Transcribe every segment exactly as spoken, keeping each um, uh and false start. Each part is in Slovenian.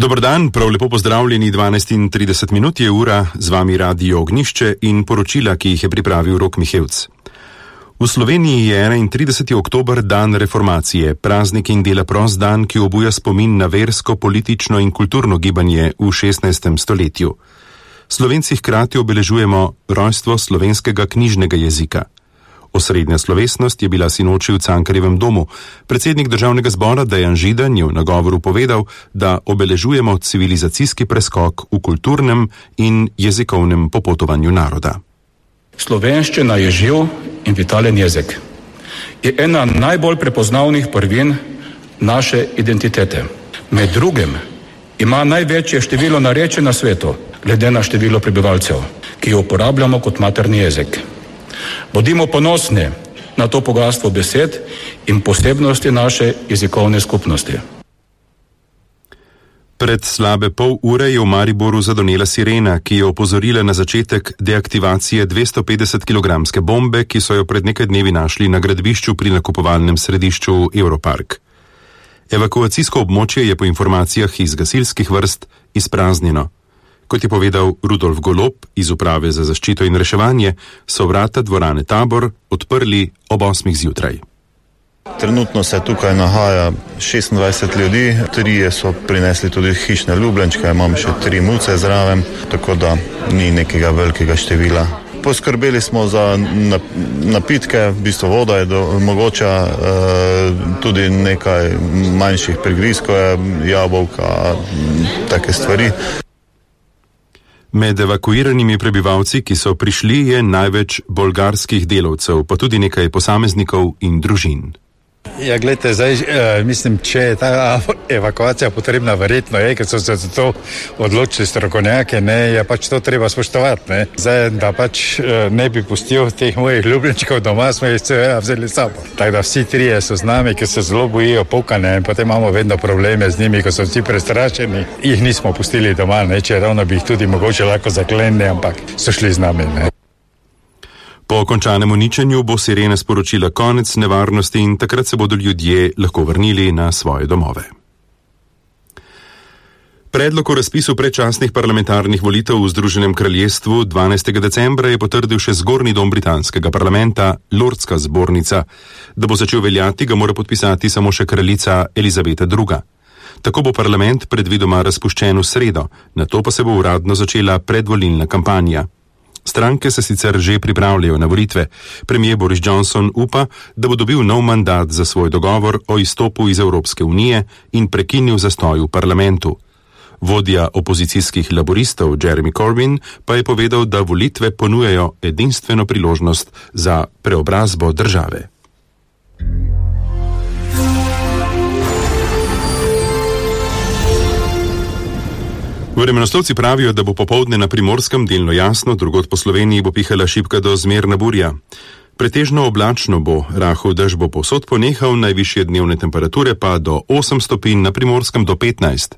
Dober dan, prav lepo pozdravljeni, dvanajst in trideset minut je ura, z vami Radio Ognjišče in poročila, ki jih je pripravil Rok Mihevc. V Sloveniji je enaintrideseti oktober dan reformacije, praznik in dela prost dan, ki obuja spomin na versko, politično in kulturno gibanje v šestnajstem stoletju. Slovenci hkrati obeležujemo rojstvo slovenskega knjižnega jezika. Osrednja slovesnost je bila sinoči v Cankarjevem domu. Predsednik državnega zbora Dejan Židan je v nagovoru povedal, da obeležujemo civilizacijski preskok v kulturnem in jezikovnem popotovanju naroda. Slovenščina je živ in vitalen jezik. Je ena najbolj prepoznavnih prvin naše identitete. Med drugim ima največje število narečij na svetu, glede na število prebivalcev, ki jo uporabljamo kot materni jezik. Bodimo ponosni na to bogastvo besed in posebnosti naše jezikovne skupnosti. Pred slabe pol ure je v Mariboru zadonela sirena, ki je opozorila na začetek deaktivacije dvestopetdesetkilogramske bombe, ki so jo pred nekaj dnevi našli na gradbišču pri nakupovalnem središču Europark. Evakuacijsko območje je po informacijah iz gasilskih vrst izpraznjeno. Kot je povedal Rudolf Golob iz Uprave za zaščito in reševanje, so vrata dvorane Tabor odprli ob osmih zjutraj. Trenutno se tukaj nahaja šestindvajset ljudi, trije so prinesli tudi hišne ljubljenčke, imam še tri muce zraven, tako da ni nekega velikega števila. Poskrbeli smo za napitke, v bistvu voda je do, mogoča, e, tudi nekaj manjših prigrizkov, jabolka, take stvari. Med evakuiranimi prebivalci, ki so prišli, je največ bolgarskih delavcev, pa tudi nekaj posameznikov in družin. Ja, gledajte, zdaj, eh, mislim, če je ta evakuacija potrebna, verjetno je, ker so se za to odločili strokovnjaki, ne, je pač to treba spoštovati, ne. Zdaj, da pač eh, ne bi pustil teh mojih ljubljenčkov doma, smo jih seveda vzeli sabo. Tako da vsi trije so z nami, ki se zelo bojijo pokanja in potem imamo vedno probleme z njimi, ko so vsi prestrašeni. Jih nismo pustili doma, ne, če ravno bi jih tudi mogoče lahko zaklenili, ampak so šli z nami, ne. Po končanem uničenju bo sirena sporočila konec nevarnosti in takrat se bodo ljudje lahko vrnili na svoje domove. Predlog o razpisu predčasnih parlamentarnih volitev v Združenem kraljestvu dvanajstega decembra je potrdil še zgornji dom britanskega parlamenta, Lordska zbornica. Da bo začel veljati, ga mora podpisati samo še kraljica Elizabeta druga. Tako bo parlament predvidoma razpuščen v sredo, nato pa se bo uradno začela predvolilna kampanja. Stranke se sicer že pripravljajo na volitve. Premier Boris Johnson upa, da bo dobil nov mandat za svoj dogovor o izstopu iz Evropske unije in prekinil zastoj v parlamentu. Vodja opozicijskih laboristov Jeremy Corbyn pa je povedal, da volitve ponujajo edinstveno priložnost za preobrazbo države. Vremenoslovci pravijo, da bo popoldne na Primorskem delno jasno, drugod po Sloveniji bo pihala šibka do zmerna burja. Pretežno oblačno bo, rahel dež bo povsod ponehal, najvišje dnevne temperature pa do osem stopinj, na Primorskem do petnajst.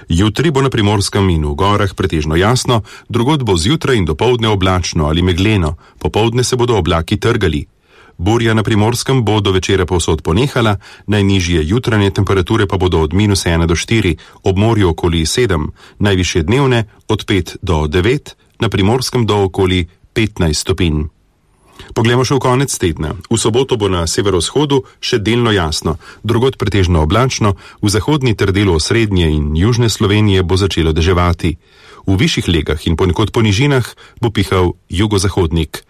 Jutri bo na Primorskem in v gorah pretežno jasno, drugod bo zjutraj in dopoldne oblačno ali megleno, popoldne se bodo oblaki trgali. Burja na Primorskem bo do večera povsod ponehala, najnižje jutranje temperature pa bodo od minus ena do štiri, ob morju okoli sedem, najvišje dnevne od pet do devet, na Primorskem do okoli petnajst stopinj. Poglejmo še v konec tedna. V soboto bo na severovzhodu še delno jasno, drugod pretežno oblačno, v zahodni ter delu osrednje in južne Slovenije bo začelo deževati. V višjih legah in ponekod po nižinah bo pihal jugozahodnik.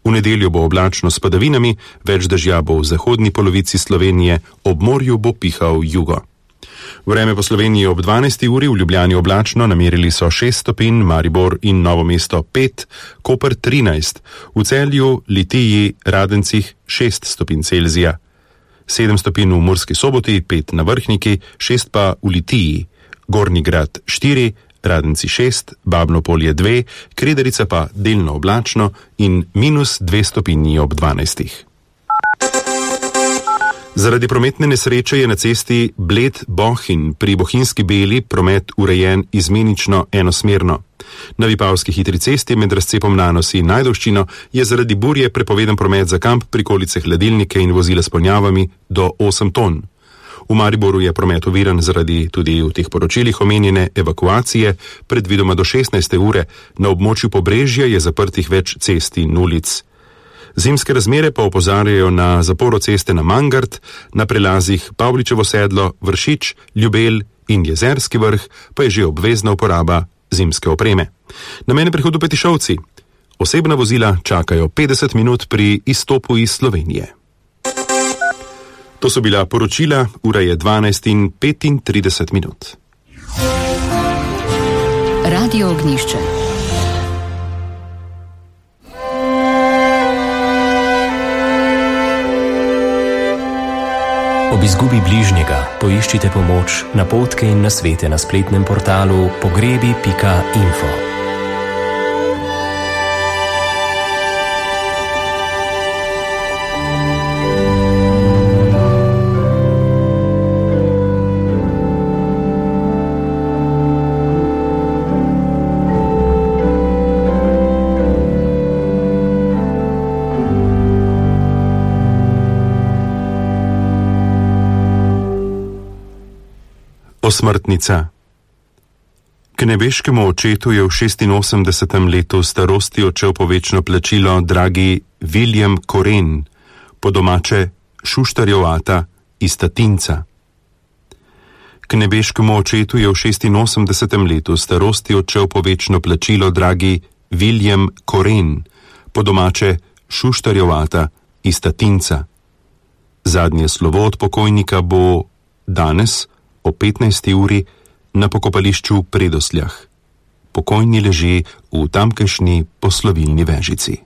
V nedeljo bo oblačno s padavinami, več dežja bo v zahodni polovici Slovenije, ob morju bo pihal jugo. Vreme po Sloveniji ob dvanajsti uri, v Ljubljani oblačno, namerili so šest stopinj, Maribor in Novo mesto pet, Koper trinajst, v Celju, Litiji, Radencih šest stopinj Celzija, sedem stopinj v Murski Soboti, pet na Vrhniki, šest pa v Litiji, Gornji Grad štiri, Radenci šest, Babno Polje dve, Krederica pa delno oblačno in minus dve stopinji ob dvanajstih. Zaradi prometne nesreče je na cesti Bled-Bohinj pri Bohinjski Beli promet urejen izmenično enosmerno. Na Vipavski hitri cesti med razcepom Nanos in Ajdovščino je zaradi burje prepovedan promet za kamp, prikolice, hladilnike in vozila s ponjavami do osem ton. V Mariboru je promet oviran zaradi tudi v teh poročilih omenjene evakuacije, predvidoma do šestnajste ure, na območju Pobrežja je zaprtih več cest in ulic. Zimske razmere pa opozarjajo na zaporo ceste na Mangart, na prelazih Pavličevo sedlo, Vršič, Ljubelj in Jezerski vrh pa je že obvezna uporaba zimske opreme. Na mejnem prehodu Petišovci. Osebna vozila čakajo petdeset minut pri izstopu iz Slovenije. To so bila poročila, ura je dvanajst in petintrideset minut. Radio Ognjišče. Ob izgubi bližnjega poiščite pomoč, napotke in nasvete na spletnem portalu pogrebi pika info. Osmrtnica. K nebeškemu očetu je v šestinosemdesetem letu starosti odšel po večno plačilo dragi William Koren, po domače Šuštarjev ata iz Tatinca. K nebeškemu očetu je v šestinosemdesetem letu starosti odšel po večno plačilo dragi William Koren, po domače Šuštarjev ata iz Tatinca. Zadnje slovo od pokojnika bo danes o petnajsti uri na pokopališču Predosljah. Pokojni leži v tamkajšnji poslovilni vežici.